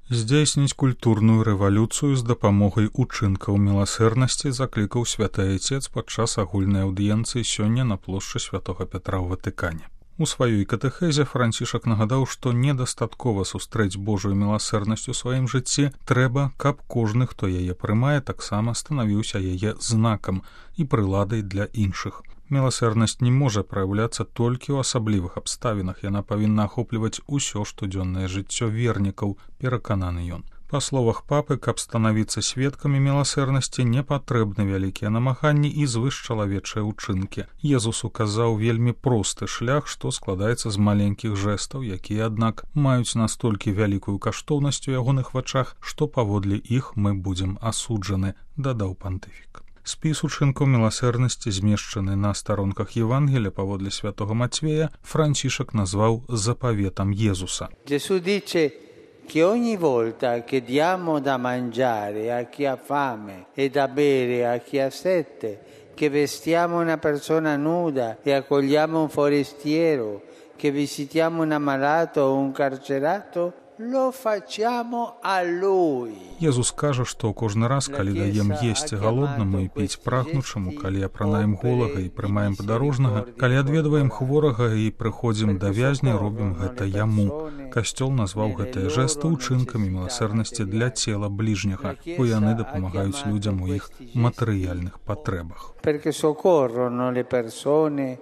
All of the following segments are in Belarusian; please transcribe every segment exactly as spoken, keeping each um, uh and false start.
Здзейсніць культурную рэвалюцыю з дапамогай учынкаў міласэрнасці заклікаў святы айцец падчас агульнай аўдыенцыі сёння на плошчы святога Пятра ў Ватыкане. У сваёй катэхезе Францішак нагадаў, што недастаткова сустрэць Божую міласэрнасць у сваім жыцці, трэба, каб кожны, хто яе прымае, таксама станавіўся яе знакам і прыладай для іншых. Міласэрнасць не можа праяўляцца толькі ў асаблівых абставінах, яна павінна ахопліваць усё штодзённае жыццё вернікаў, перакананы ён. Па словах папы, каб станавіцца сведкамі міласэрнасці, не патрэбны вялікія намаганні і звышчалавечыя ўчынкі. Езус указаў вельмі просты шлях, што складаецца з маленькіх жэстаў, якія, аднак, маюць настолькі вялікую каштоўнасць у ягоных вачах, што паводле іх мы будзем асуджаны, дадаў пантыфік. Спіс учынкаў міласэрнасці, змешчаны на старонках Євангелія паводле святого Матвея, Францішак назваў запаветам Єзуса. Gesù dice che ogni volta che diamo da mangiare a chi ha fame e da bere a chi ha sete, che vestiamo una persona nuda e accogliamo un forestiero, che visitiamo un ammalato o un carcerato, lo facciamo a lui. Езус кажа, што кожны раз, калі даем есці галоднаму і піць прагнучаму, калі апранаем голага і прымаем падарожнага, калі адведваем хворага і прыходзім да вязня, робім гэта яму. Касцёл назваў гэтыя жэсты ўчынкамі міласэрнасці для цела бліжняга, бо яны дапамагаюць людзям у іх матэрыяльных патрэбах. Perché soccorrono le persone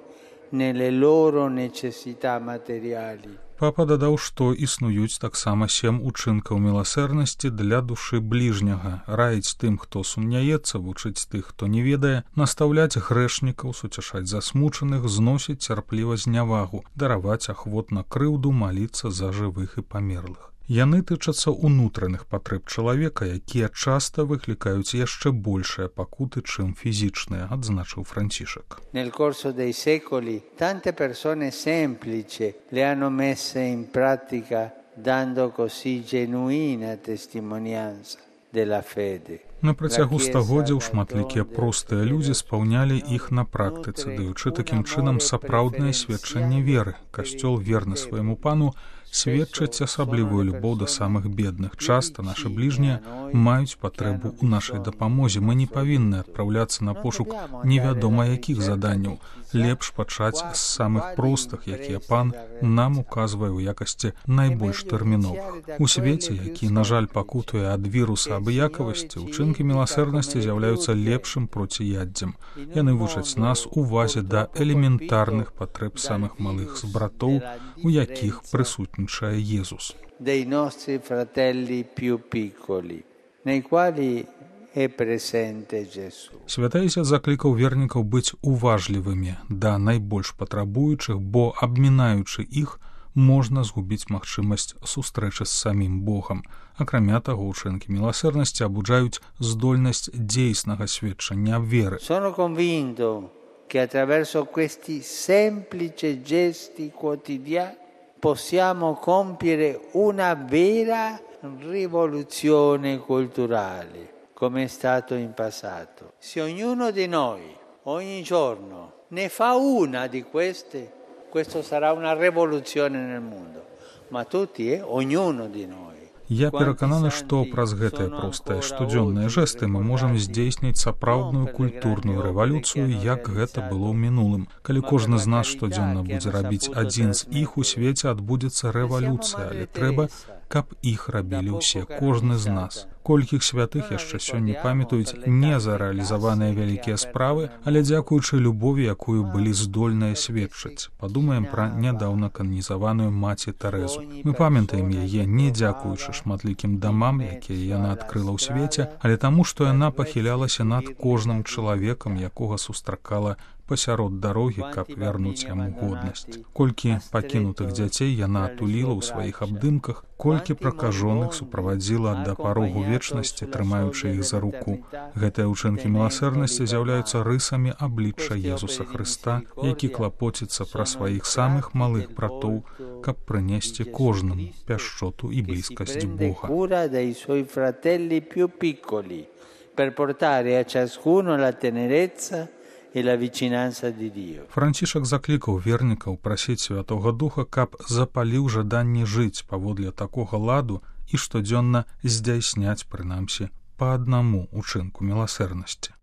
nelle loro necessità materiali. Папа дадаў, што існуюць таксама сем учынкаў міласэрнасці для душы бліжняга, раіць тым, хто сумняецца, вучыць тых, хто не ведае, настаўляць грэшнікаў, суцяшаць засмучаных, зносіць цярпліва знявагу, дараваць ахвотна крыўду, маліцца за жывых і памерлых. Яны тычацца ўнутраных патрэб чалавека, якія часта выклікаюць яшчэ большыя пакуты, чым фізічныя, адзначыў Францішак. Nel corso dei secoli tante persone semplici le hanno messe in pratica, dando così genuina testimonianza della fede. На працягу стагоддзяў шматлікія простыя людзі спаўнялі іх на практыцы, даючы такім чынам сапраўднае сведчанне веры. Касцёл, верны свайму пану, сведчаць асаблівую любоў да самых бедных. Часта нашы бліжнія маюць патрэбу ў нашай дапамозе. Мы не павінны адпраўляцца на пошук невядома якіх заданняў. Лепш пачаць з самых простых, якія пан нам указвае ў якасці найбольш тэрміновых. У свеце, які, на жаль, пакутуе ад віруса абыякавасці, учынкі міласэрнасці з'яўляюцца лепшым проціяддзем. Яны вучаць нас увазе да элементарных патрэб самых малых з братоў, у якіх прысутнічае Єзус. Dei nostri fratelli più piccoli, nei quali è presente Gesù. Святы Айцец заклікаў вернікаў быць уважлівымі да найбольш патрабуючых, бо, абмінаючы іх, можна згубіць магчымасць сустрэчы з самім Богам. Акрамя таго, учынкі міласэрнасці абуджаюць здольнасць дзейснага сведчання веры. Sono convinto che attraverso questi semplici gesti quotidiani possiamo compiere una vera rivoluzione culturale, come è stato in passato. Se ognuno di noi, ogni giorno, ne fa una di queste, questo sarà una rivoluzione nel mondo. Ma tutti, eh? Ognuno di noi. Я перакананы, што праз гэтыя простыя штодзённыя жэсты мы можам здзейсніць сапраўдную культурную рэвалюцыю, як гэта было ў мінулым. Калі кожны з нас штодзённа будзе рабіць адзін з іх, у свеце адбудзецца рэвалюцыя, але трэба, каб іх рабілі ўсе, кожны з нас. Колькіх святых яшчэ сёння памятаюць не за рэалізаваныя вялікія справы, але дзякуючы любові, якую былі здольныя сведчыць. Падумаем пра нядаўна кананізаваную маці Тэрэзу. Мы памятаем яе не дзякуючы шматлікім дамам, якія яна адкрыла ў свеце, але таму, што яна пахілялася над кожным чалавекам, якога сустракала пасярод дарогі, каб вярнуць яму годнасць. Колькі пакінутых дзяцей яна атуліла ў сваіх абдымках, колькі пракажоных суправадзіла да парогу вечнасці, трымаючы іх за руку. Гэтыя ўчынкі міласэрнасці з'яўляюцца рысамі аблічча Езуса Хрыста, які клапоціцца пра сваіх самых малых братоў, каб прынесці кожнаму пяшчоту і блізкасць Бога. Per portare a ciascuno la tenerezza і la vicinanza di Dio. Францішак заклікаў вернікаў прасіць Святога Духа, каб запаліў жаданне жыць паводле такога ладу, і штодзённа здзяйсняць, прынамсі, па аднаму ўчынку міласэрнасці.